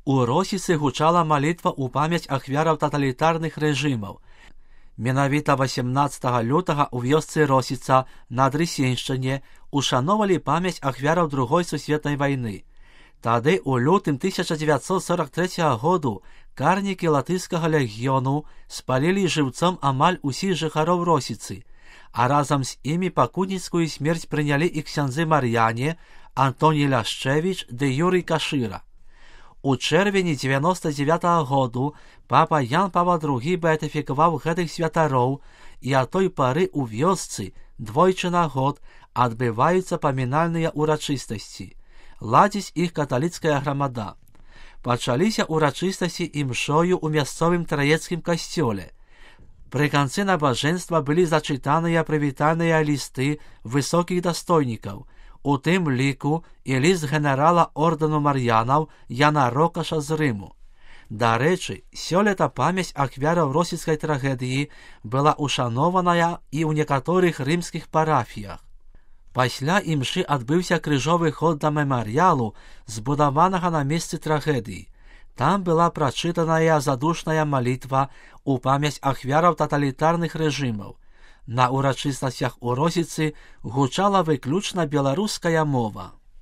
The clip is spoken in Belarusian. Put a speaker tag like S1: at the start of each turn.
S1: У Росіцы гучала малітва ў памяць ахвяраў таталітарных рэжымаў. Менавіта 18 лютага ў вёсцы Росіца на Дрысеншчыне ушановалі памяць ахвяраў Другой сусветнай вайны. Тады ў лютым 1943 году карнікі латышскага легіёну спалілі жыўцом амаль усіх жыхароў Росіцы, а разам з імі пакутніцкую смерць прынялі і ксяндзы Мар'яне, Антоній Ляшчэвіч ды Юрый Кашыра. У чэрвені 99 году папа Ян Павел II беатыфікаваў гэтых святароў, і ад той пары ў вёсцы двойчы на год адбываюцца памінальныя ўрачыстасці. Ладзіць іх каталіцкая грамада. Пачаліся ўрачыстасці імшою ў мясцовым траецкім касцёле. Пры канцы набажэнства былі зачытаныя прывітальныя лісты высокіх дастойнікаў, у тым ліку і ліст генерала ордэну Мар'янаў Яна Рокаша з Рыму. Дарэчы, сёлета памяць ахвяраў російскай трагедыі была ушанованая і ў некаторых рымскіх парафіях. Пасля імшы адбыўся крыжовы ход да мемарыялу, збудаванага на месцы трагедыі. Там была прачытаная задушная малітва ў памяць ахвяраў таталітарных рэжымаў. На ўрачыстасцях у Росіцы гучала выключна беларуская мова.